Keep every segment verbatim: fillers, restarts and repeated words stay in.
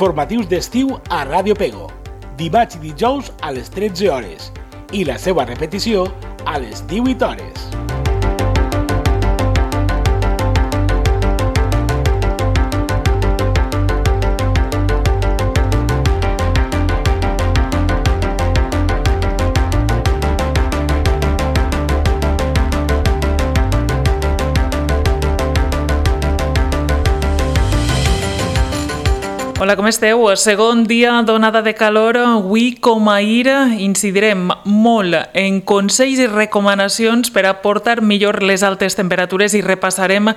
Informatius d'estiu a Ràdio Pego, dimarts i dijous a les tretze hores i la seva repetició a les divuit hores. Hola, com esteu? Segon dia d'onada de calor. Avui, com ahir, incidirem molt en consells i recomanacions per a portar millor les altes temperatures i repassarem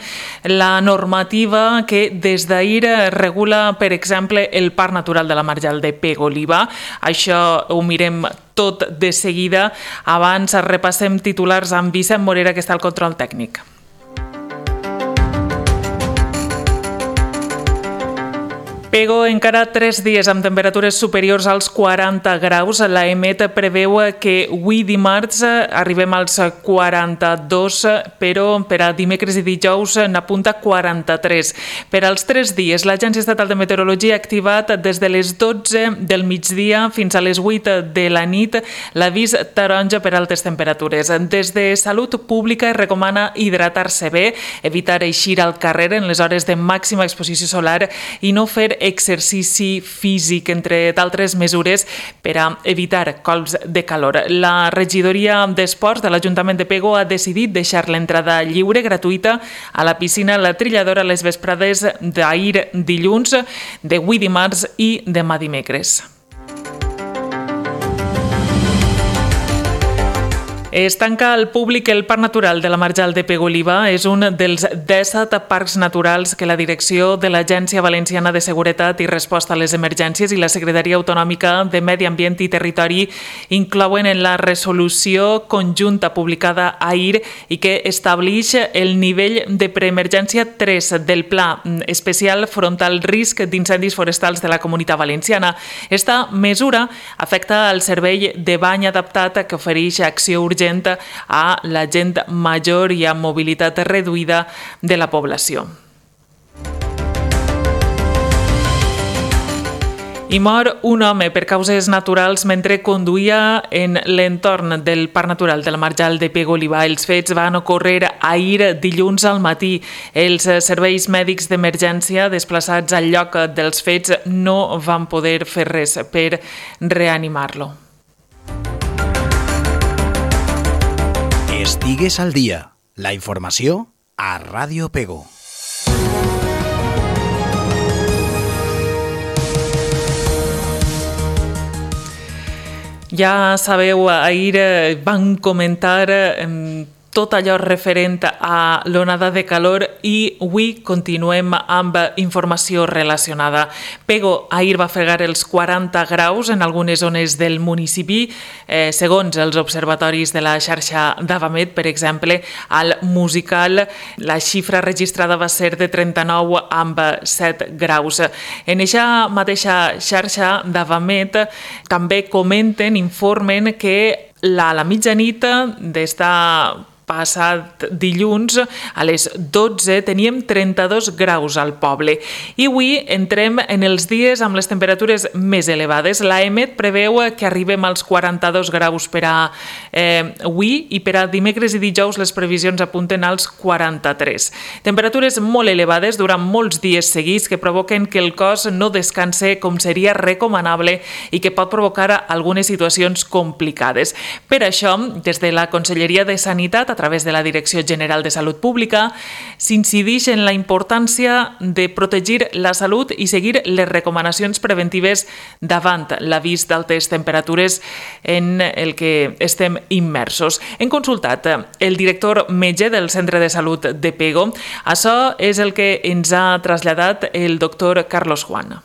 la normativa que des d'ahir regula, per exemple, el Parc Natural de la Marjal de Pego-Oliva. Això ho mirem tot de seguida. Abans repassem titulars amb Vicent Morera, que està al control tècnic. Pego encara tres dies amb temperatures superiors als quaranta graus. La EMET preveu que avui dimarts arribem als quaranta-dos, però per a dimecres i dijous n'apunta quaranta-tres. Per als tres dies, l'Agència Estatal de Meteorologia ha activat des de les dotze del migdia fins a les vuit de la nit l'avís taronja per altes temperatures. Des de Salut Pública es recomana hidratar-se bé, evitar eixir al carrer en les hores de màxima exposició solar i no fer exercici físic, entre d'altres mesures per a evitar colps de calor. La regidoria d'Esports de l'Ajuntament de Pego ha decidit deixar l'entrada lliure, gratuïta, a la piscina La Trilladora a les vesprades d'ahir dilluns, d'avui dimarts i demà dimecres. Es tanca al públic el Parc Natural de la Marjal de Pego-Oliva. És un dels disset parcs naturals que la direcció de l'Agència Valenciana de Seguretat i Resposta a les Emergències i la Secretaria Autonòmica de Medi Ambient i Territori inclouen en la resolució conjunta publicada ahir i que estableix el nivell de preemergència tres del Pla Especial front al risc d'incendis forestals de la Comunitat Valenciana. Esta mesura afecta el servei de bany adaptat que ofereix acció urgent a la gent major i amb mobilitat reduïda de la població. I mor un home per causes naturals mentre conduïa en l'entorn del Parc Natural de la Marjal de Pego-Oliva. Els fets van ocórrer ahir dilluns al matí. Els serveis mèdics d'emergència desplaçats al lloc dels fets no van poder fer res per reanimar-lo. Estigues al dia. La informació a Ràdio Pego. Ja sabeu, ahir van comentar tot allò referent a l'onada de calor i avui continuem amb informació relacionada. Pego ahir va fregar els quaranta graus en algunes zones del municipi. Eh, segons els observatoris de la xarxa d'Avamet, per exemple, al Musical, la xifra registrada va ser de trenta-nou amb set graus. En aquesta mateixa xarxa d'Avamet també comenten, informen que a la mitjanit d'esta passat dilluns, a les dotze, teníem trenta-dos graus al poble. I avui entrem en els dies amb les temperatures més elevades. La EMET preveu que arribem als quaranta-dos graus per a eh, avui i per a dimecres i dijous les previsions apunten als quaranta-tres. Temperatures molt elevades durant molts dies seguits que provoquen que el cos no descanse com seria recomanable i que pot provocar algunes situacions complicades. Per això, des de la Conselleria de Sanitat, a través de la Direcció General de Salut Pública, s'incideix en la importància de protegir la salut i seguir les recomanacions preventives davant l'avís d'altes temperatures en el que estem immersos. Hem consultat el director metge del Centre de Salut de Pego. Això és el que ens ha traslladat el doctor Carlos Juan.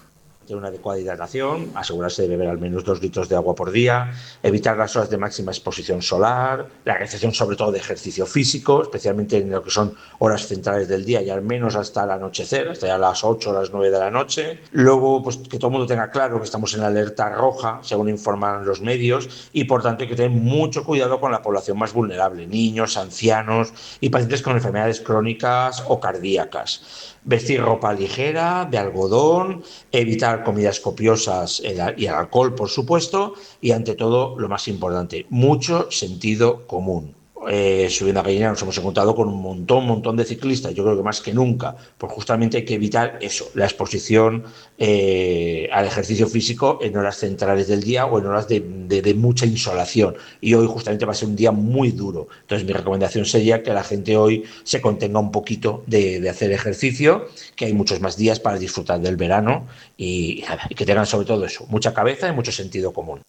Una adecuada hidratación, asegurarse de beber al menos dos litros de agua por día, evitar las horas de máxima exposición solar, la realización sobre todo de ejercicio físico, especialmente en lo que son horas centrales del día y al menos hasta el anochecer, hasta ya las ocho o las nueve de la noche. Luego, pues que todo el mundo tenga claro que estamos en la alerta roja, según informan los medios, y por tanto hay que tener mucho cuidado con la población más vulnerable, niños, ancianos y pacientes con enfermedades crónicas o cardíacas. vestir ropa ligera, de algodón, evitar comidas copiosas y el alcohol, por supuesto, y ante todo, lo más importante, mucho sentido común. Eh, subiendo a Gallinera nos hemos encontrado con un montón, montón de ciclistas, yo creo que más que nunca, pues justamente hay que evitar eso, la exposición eh, al ejercicio físico en horas centrales del día o en horas de, de, de mucha insolación, y hoy justamente va a ser un día muy duro, entonces mi recomendación sería que la gente hoy se contenga un poquito de, de hacer ejercicio, que hay muchos más días para disfrutar del verano y, y que tengan sobre todo eso, mucha cabeza y mucho sentido común.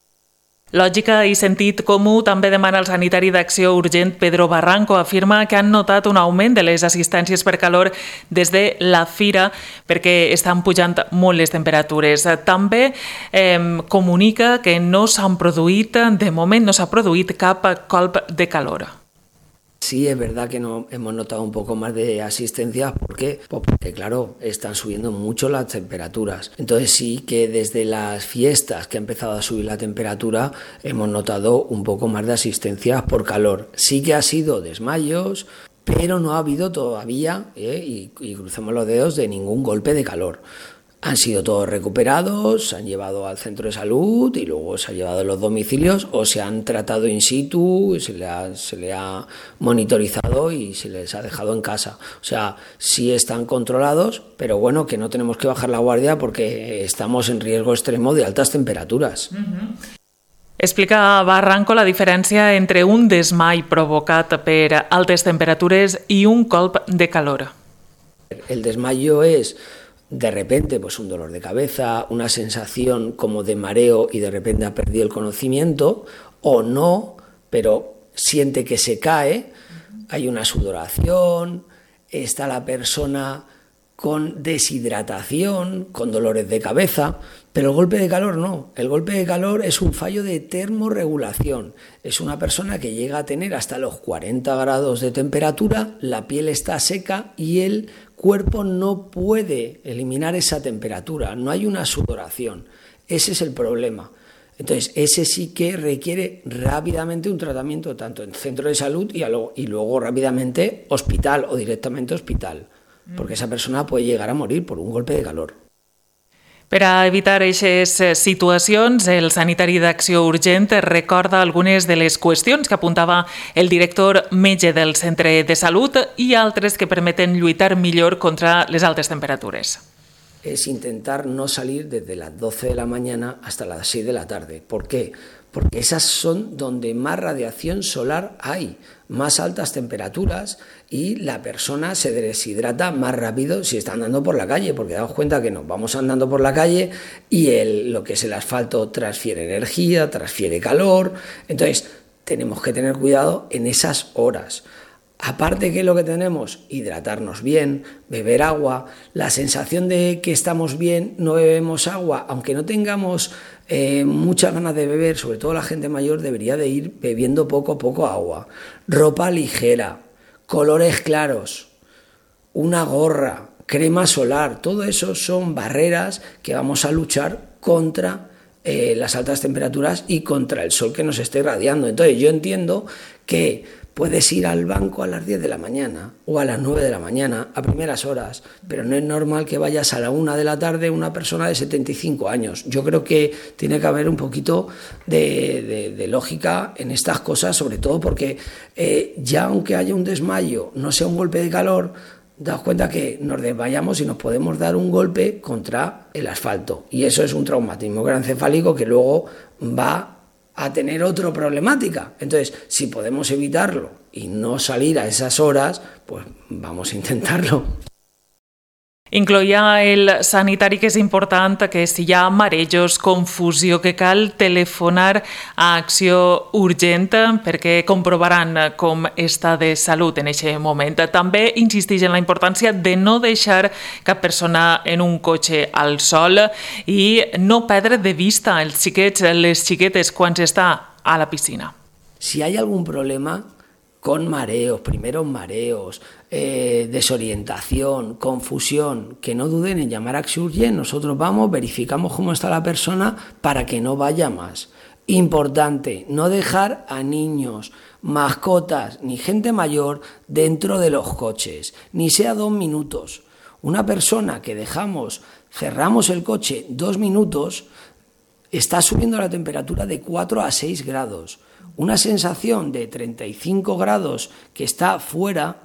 Lògica i sentit comú també demana el sanitari d'Acció Urgent Pedro Barranco. Afirma que han notat un augment de les assistències per calor des de la fira perquè estan pujant molt les temperatures. També eh, comunica que no s'han produït, de moment no s'ha produït cap colp de calor. Sí, es verdad que no, hemos notado un poco más de asistencia. ¿Por qué? Pues porque, claro, están subiendo mucho las temperaturas. Entonces sí que desde las fiestas que ha empezado a subir la temperatura hemos notado un poco más de asistencia por calor. Sí que ha sido desmayos, pero no ha habido todavía, eh, y, y crucemos los dedos, de ningún golpe de calor. Han sido todos recuperados, se han llevado al centro de salud y luego se ha llevado a los domicilios o se han tratado in situ, se le ha, se le ha monitorizado y se les ha dejado en casa. O sea, sí están controlados, pero bueno, que no tenemos que bajar la guardia porque estamos en riesgo extremo de altas temperaturas. Uh-huh. Explica Barranco la diferència entre un desmai provocat per altes temperatures i un colp de calor. El desmayo es de repente pues un dolor de cabeza, una sensación como de mareo y de repente ha perdido el conocimiento, o no, pero siente que se cae, hay una sudoración, está la persona con deshidratación, con dolores de cabeza, pero el golpe de calor no. El golpe de calor es un fallo de termorregulación. Es una persona que llega a tener hasta los cuarenta grados de temperatura, la piel está seca y el cuerpo no puede eliminar esa temperatura, no hay una sudoración. Ese es el problema. Entonces, ese sí que requiere rápidamente un tratamiento tanto en centro de salud y, luego, y luego rápidamente hospital o directamente hospital, porque esa persona puede llegar a morir por un golpe de calor. Per a evitar aquestes situacions, el sanitari d'Acció Urgent recorda algunes de les qüestions que apuntava el director metge del centre de salut i altres que permeten lluitar millor contra les altes temperatures. Es intentar no salir desde las doce de la mañana hasta las seis de la tarde. ¿Por qué? Porque esas son donde más radiación solar hay, más altas temperaturas y la persona se deshidrata más rápido si está andando por la calle, porque daos cuenta que nos vamos andando por la calle y el, lo que es el asfalto transfiere energía, transfiere calor, entonces tenemos que tener cuidado en esas horas. Aparte, ¿qué es lo que tenemos? Hidratarnos bien, beber agua, la sensación de que estamos bien, no bebemos agua, aunque no tengamos eh, muchas ganas de beber, sobre todo la gente mayor debería de ir bebiendo poco a poco agua, ropa ligera, colores claros, una gorra, crema solar, todo eso son barreras que vamos a luchar contra eh, las altas temperaturas y contra el sol que nos esté irradiando. Entonces yo entiendo que puedes ir al banco a las diez de la mañana o a las nueve de la mañana a primeras horas, pero no es normal que vayas a la una de la tarde una persona de setenta y cinco años. Yo creo que tiene que haber un poquito de, de, de lógica en estas cosas, sobre todo porque eh, ya aunque haya un desmayo, no sea un golpe de calor, daos cuenta que nos desmayamos y nos podemos dar un golpe contra el asfalto. Y eso es un traumatismo craneoencefálico que luego va a tener otra problemática. Entonces, si podemos evitarlo y no salir a esas horas, pues vamos a intentarlo. Incloïa el sanitari que és important que si hi ha marejos, confusió, que cal telefonar a Acció Urgent perquè comprovaran com està de salut en aquest moment. També insisteix en la importància de no deixar cap persona en un cotxe al sol i no perdre de vista els xiquets, les xiquetes quan s'està a la piscina. Si hay algún problema con mareos, primeros mareos, eh, desorientación, confusión, que no duden en llamar a Acció Urgent. Nosotros vamos, verificamos cómo está la persona para que no vaya más. Importante, no dejar a niños, mascotas ni gente mayor dentro de los coches, ni sea dos minutos. Una persona que dejamos, cerramos el coche dos minutos, está subiendo la temperatura de cuatro a seis grados. Una sensación de treinta y cinco grados que está fuera,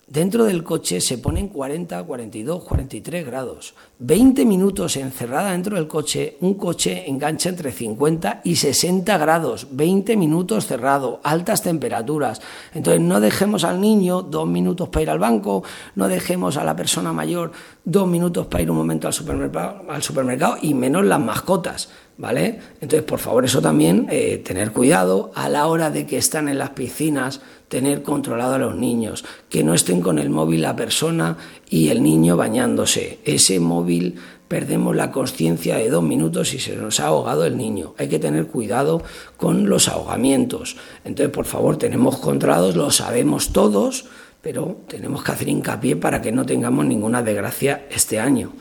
dentro del coche se ponen cuarenta, cuarenta y dos, cuarenta y tres grados. veinte minutos encerrada dentro del coche, un coche engancha entre cincuenta y sesenta grados. veinte minutos cerrado, altas temperaturas. Entonces no dejemos al niño dos minutos para ir al banco, no dejemos a la persona mayor dos minutos para ir un momento al supermercado, al supermercado y menos las mascotas, ¿vale? Entonces, por favor, eso también, eh, tener cuidado a la hora de que están en las piscinas, tener controlado a los niños, que no estén con el móvil la persona y el niño bañándose. Ese móvil, perdemos la conciencia de dos minutos y se nos ha ahogado el niño. Hay que tener cuidado con los ahogamientos. Entonces, por favor, tenemos controlados, lo sabemos todos, pero tenemos que hacer hincapié para que no tengamos ninguna desgracia este año.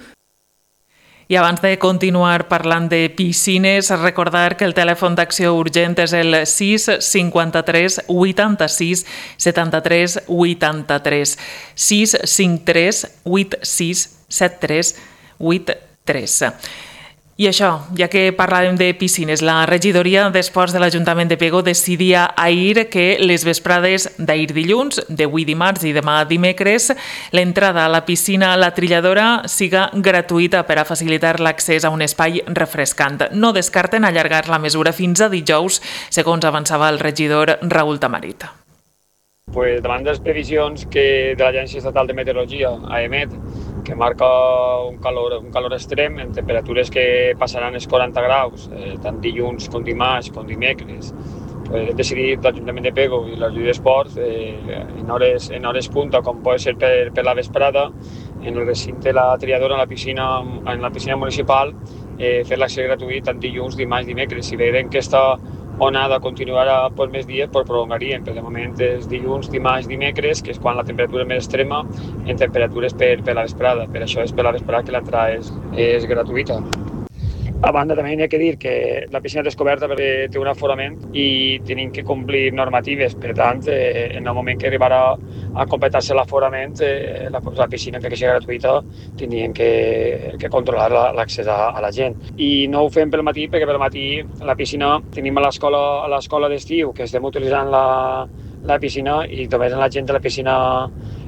I abans de continuar parlant de piscines, recordar que el telèfon d'acció urgent és el sis cinquanta-tres vuitanta-sis setanta-tres vuitanta-tres, sis cinquanta-tres vuitanta-sis setanta-tres vuitanta-tres. I això, ja que parlàvem de piscines, la regidoria d'Esports de l'Ajuntament de Pego decidia ahir que les vesprades d'ahir dilluns, d'avui dimarts i demà dimecres, l'entrada a la piscina La Trilladora siga gratuïta per a facilitar l'accés a un espai refrescant. No descarten allargar la mesura fins a dijous, segons avançava el regidor Raül Tamarit. Pues davant de les previsions que de l'Agència Estatal de Meteorologia, A E M E T, que marca un calor, un calor extrem en temperatures que passaran els quaranta graus, eh, tant dilluns com dimarts com dimecres, pues hem decidit l'Ajuntament de Pego i la Regidoria d'Esports eh, en, hores, en hores punta, com pot ser per, per la vesprada, en el recinte de La Trilladora, en la piscina, en la piscina municipal, eh, fer l'accés gratuït tant dilluns, dimarts, dimecres. Si veiem que aquesta onada continuarà per més dies, pues prolongaríem, però de moment és dilluns, dimarts, dimecres, que és quan la temperatura és més extrema, en temperatures per, per la vesprada. Per això és per la vesprada que l'entrada és, és gratuïta. A banda, també hi ha que dir que la piscina descoberta té un aforament i tenim que complir normatives. Per tant, eh, en el moment que arribarà a completar-se l'aforament, eh, la, la piscina, que sigui gratuïta, tindríem que, que controlar l'accés a, a la gent. I no ho fem pel matí, perquè pel matí la piscina tenim a l'escola a l'escola d'estiu, que estem utilitzant la, la piscina, i també en la gent de la piscina,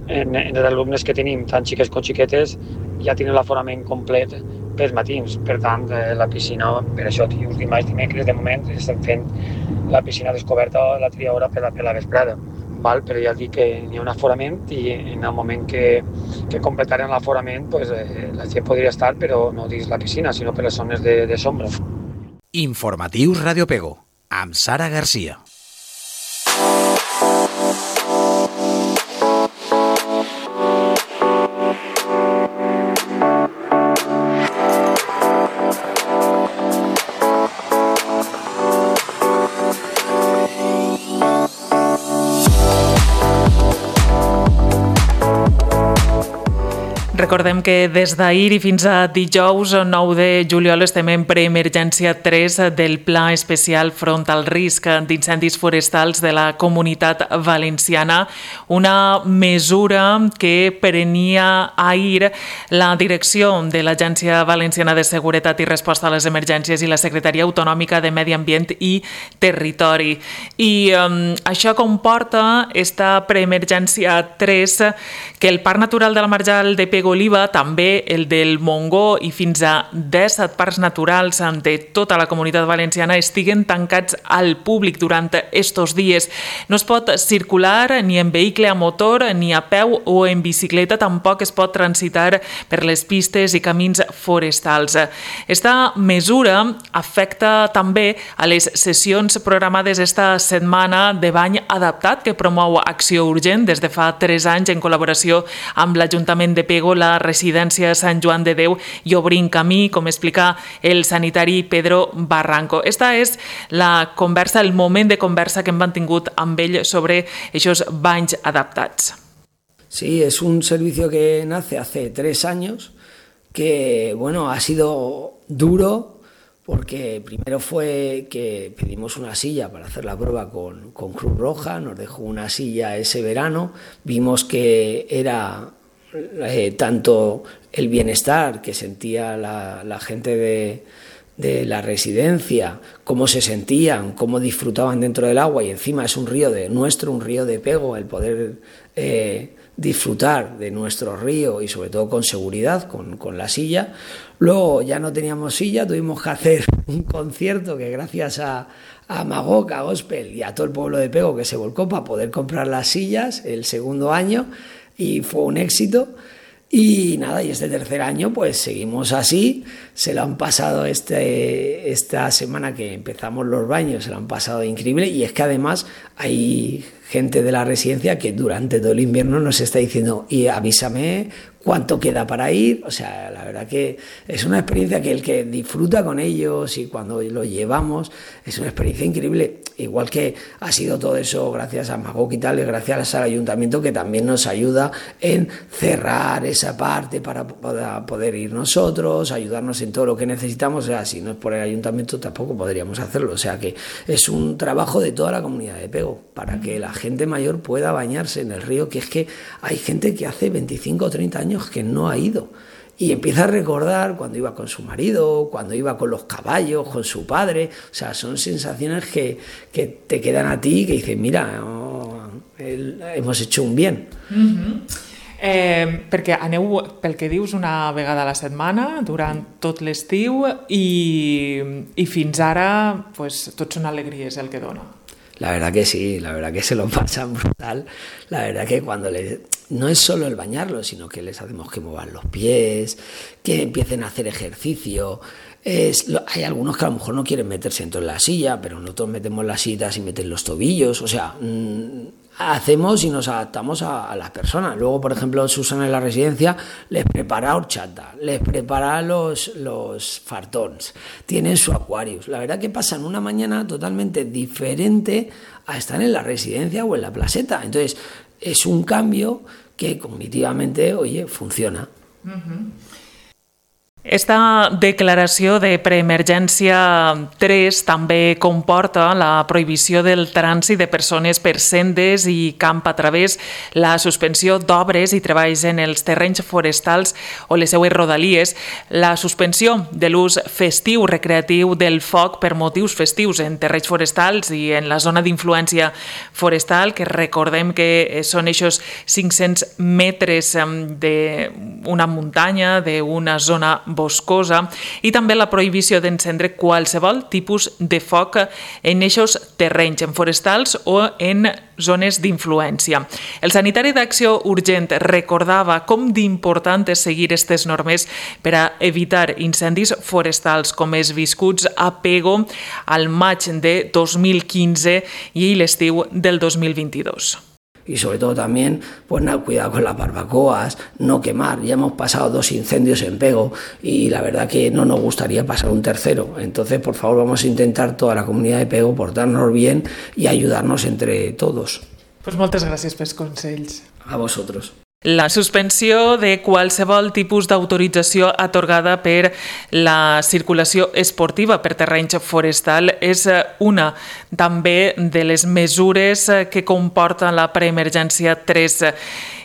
en, en els alumnes que tenim, tant xiques com xiquetes, ja tenen l'aforament complet pels matins. Per tant, eh, la piscina, per això, dilluns, dimarts, dimecres, de moment estem fent la piscina descoberta La Trilladora per la, per la vesprada. Val? Però ja dic que hi ha un aforament i en el moment que, que completaren l'aforament, pues, eh, la gent podria estar, però no dins la piscina, sinó per les zones de, de sombra. Informatius Radio Pego, amb Sara Garcia. Recordem que des d'ahir i fins a dijous nou de juliol estem en preemergència tres del Pla Especial front al risc d'incendis forestals de la Comunitat Valenciana, una mesura que prenia ahir la direcció de l'Agència Valenciana de Seguretat i Resposta a les Emergències i la Secretaria Autonòmica de Medi Ambient i Territori. I um, això comporta esta preemergència tres que el Parc Natural de la Marjal de Pego Oliva, també el del Montgó i fins a disset parcs naturals de tota la Comunitat Valenciana estiguen tancats al públic durant estos dies. No es pot circular ni en vehicle a motor, ni a peu o en bicicleta, tampoc es pot transitar per les pistes i camins forestals. Esta mesura afecta també a les sessions programades esta setmana de bany adaptat que promou Acció Urgent des de fa tres anys en col·laboració amb l'Ajuntament de Pego, la residència Sant Joan de Déu i Obrint Camí, com explica el sanitari Pedro Barranco. Esta és la conversa, el moment de conversa que hem mantingut amb ell sobre aquests banys adaptats. Sí, es un servicio que nace hace tres años, que bueno, ha sido duro, porque primero fue que pedimos una silla para hacer la prueba con, con Cruz Roja, nos dejó una silla ese verano, vimos que era eh, tanto el bienestar que sentía la, la gente de, de la residencia, cómo se sentían, cómo disfrutaban dentro del agua, y encima es un río de nuestro, un río de Pego, el poder eh, disfrutar de nuestro río y sobre todo con seguridad, con, con la silla. Luego ya no teníamos silla, tuvimos que hacer un concierto que gracias a, a Magok, a Gospel y a todo el pueblo de Pego que se volcó para poder comprar las sillas el segundo año, y fue un éxito. Y nada, y este tercer año pues seguimos así, se lo han pasado este, esta semana que empezamos los baños, se lo han pasado increíble, y es que además hay gente de la residencia que durante todo el invierno nos está diciendo, y avísame cuánto queda para ir. O sea, la verdad que es una experiencia que el que disfruta con ellos y cuando lo llevamos es una experiencia increíble. Igual que ha sido todo eso gracias a Magok y tal, y gracias al ayuntamiento que también nos ayuda en cerrar esa parte para poder ir nosotros, ayudarnos en todo lo que necesitamos. O sea, si no es por el ayuntamiento tampoco podríamos hacerlo. O sea que es un trabajo de toda la comunidad de Pego para que la gente mayor pueda bañarse en el río, que es que hay gente que hace veinticinco o treinta años que no ha ido. Y empieza a recordar cuando iba con su marido, cuando iba con los caballos, con su padre. O sea, son sensaciones que, que te quedan a ti, que dices, mira, oh, el, hemos hecho un bien. Mm-hmm. Eh, perquè aneu, pel que dius, una vegada a la setmana durant tot l'estiu, i, i fins ara pues, tot són alegries el que dona. La verdad que sí, la verdad que se lo pasan brutal. La verdad que cuando les... no es solo el bañarlos, sino que les hacemos que muevan los pies, que empiecen a hacer ejercicio. Es, hay algunos que a lo mejor no quieren meterse dentro de la silla, pero nosotros metemos las sillas y meten los tobillos. O sea, mmm, hacemos y nos adaptamos a, a las personas. Luego, por ejemplo, Susana en la residencia les prepara horchata, les prepara los, los fartons, tienen su Aquarius. La verdad que pasan una mañana totalmente diferente a estar en la residencia o en la placeta. Entonces, es un cambio que cognitivamente, oye, funciona. Uh-huh. Esta declaració de preemergència tres també comporta la prohibició del trànsit de persones per sendes i camp a través, la suspensió d'obres i treballs en els terrenys forestals o les seues rodalies, la suspensió de l'ús festiu recreatiu del foc per motius festius en terrenys forestals i en la zona d'influència forestal, que recordem que són aquests cinc-cents metres d'una muntanya, d'una zona boscosa, i també la prohibició d'encendre qualsevol tipus de foc en eixos terrenys, en forestals o en zones d'influència. El sanitari d'Acció Urgent recordava com d'important és seguir aquestes normes per a evitar incendis forestals com els viscuts a Pego al maig de dos mil quinze i l'estiu del dos mil vint-i-dos. Y sobre todo también, pues nada, cuidado con las barbacoas, no quemar. Ya hemos pasado dos incendios en Pego y la verdad que no nos gustaría pasar un tercero. Entonces, por favor, vamos a intentar toda la comunidad de Pego portarnos bien y ayudarnos entre todos. Pues moltes gràcies pels consells. A vosotros. La suspensió de qualsevol tipus d'autorització atorgada per la circulació esportiva per terrenys forestal és una també de les mesures que comporta la preemergència tres.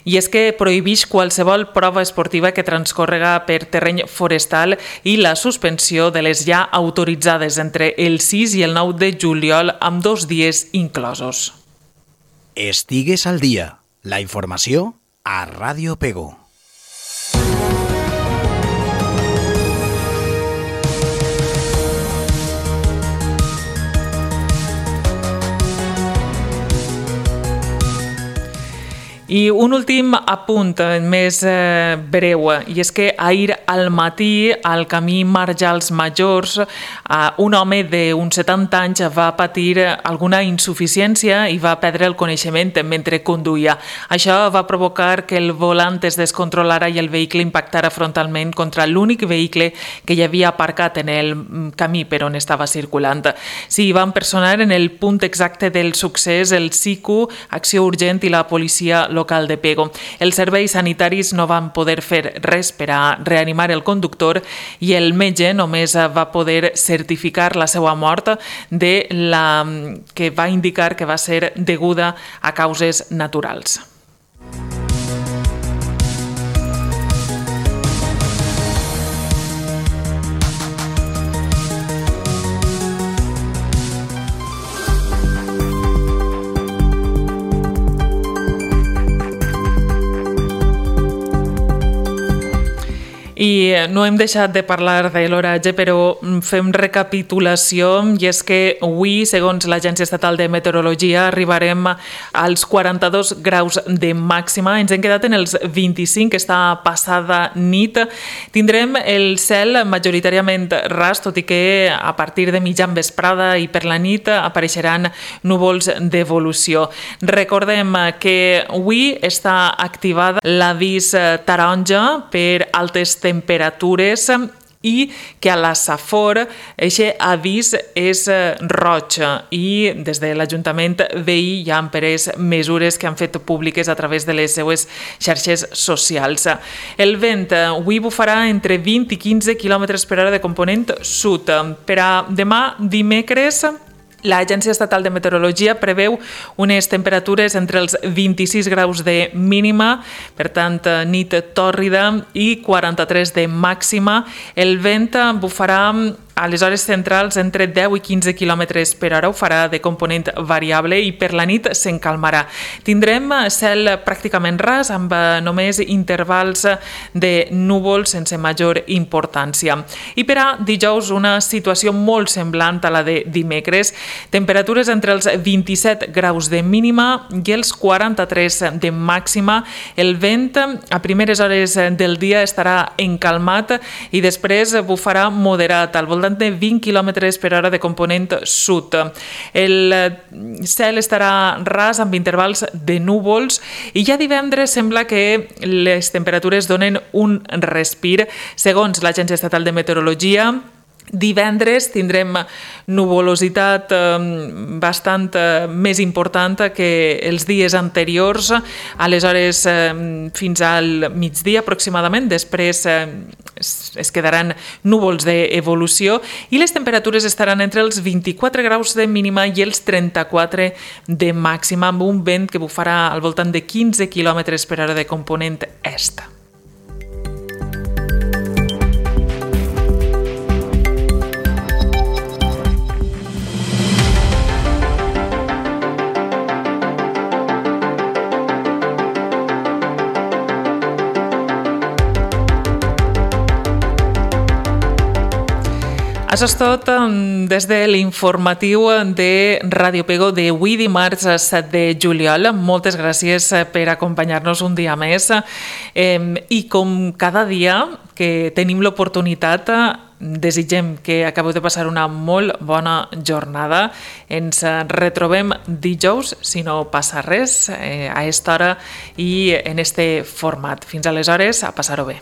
I és que prohibeix qualsevol prova esportiva que transcorrega per terreny forestal i la suspensió de les ja autoritzades entre el sis i el nou de juliol amb dos dies inclosos. Estigues al dia. La informació a Ràdio Pego. I un últim apunt més eh, breu, i és que ahir al matí al camí Marjals Majors eh, un home d'uns setanta anys va patir alguna insuficiència i va perdre el coneixement mentre conduïa. Això va provocar que el volant es descontrolara i el vehicle impactara frontalment contra l'únic vehicle que hi havia aparcat en el camí per on estava circulant. S'hi van personar en el punt exacte del succés el S I C U, Acció Urgent i la policia local de Pego. Els serveis sanitaris no van poder fer res per a reanimar el conductor i el metge només va poder certificar la seva mort, de la que va indicar que va ser deguda a causes naturals. I no hem deixat de parlar de l'oratge, però fem recapitulació, i és que avui, segons l'Agència Estatal de Meteorologia, arribarem als quaranta-dos graus de màxima. Ens hem quedat en els vint-i-cinc aquesta passada nit. Tindrem el cel majoritàriament ras, tot i que a partir de mitjan vesprada i per la nit apareixeran núvols d'evolució. Recordem que avui està activada l'avís taronja per altes temperatures i que a la Safor aquest avís és roig i des de l'Ajuntament veí ja han pres mesures que han fet públiques a través de les seues xarxes socials. El vent avui bufarà entre vint i quinze quilòmetres per hora de component sud. Per a demà dimecres, l'Agència Estatal de Meteorologia preveu unes temperatures entre els vint-i-sis graus de mínima, per tant, nit tòrrida, i quaranta-tres de màxima. El vent bufarà a les hores centrals entre deu i quinze quilòmetres per hora, ho farà de component variable i per la nit s'encalmarà. Tindrem cel pràcticament ras amb només intervals de núvols sense major importància. I per a dijous una situació molt semblant a la de dimecres, temperatures entre els vint-i-set graus de mínima i els quaranta-tres de màxima. El vent a primeres hores del dia estarà encalmat i després bufarà moderat, al voltant de vint quilòmetres per hora de component sud. El cel estarà ras amb intervals de núvols i ja divendres sembla que les temperatures donen un respir. Segons l'Agència Estatal de Meteorologia, divendres tindrem nuvolositat bastant més important que els dies anteriors, aleshores fins al migdia aproximadament, després es quedaran núvols d'evolució i les temperatures estaran entre els vint-i-quatre graus de mínima i els trenta-quatre de màxima, amb un vent que bufarà al voltant de quinze quilòmetres per hora de component est. Això és tot des de l'informatiu de Ràdio Pego d'avui dimarts set de juliol. Moltes gràcies per acompanyar-nos un dia més i com cada dia que tenim l'oportunitat, desitgem que acabeu de passar una molt bona jornada. Ens retrobem dijous, si no passa res, a aquesta hora i en este format. Fins aleshores, a passar-ho bé.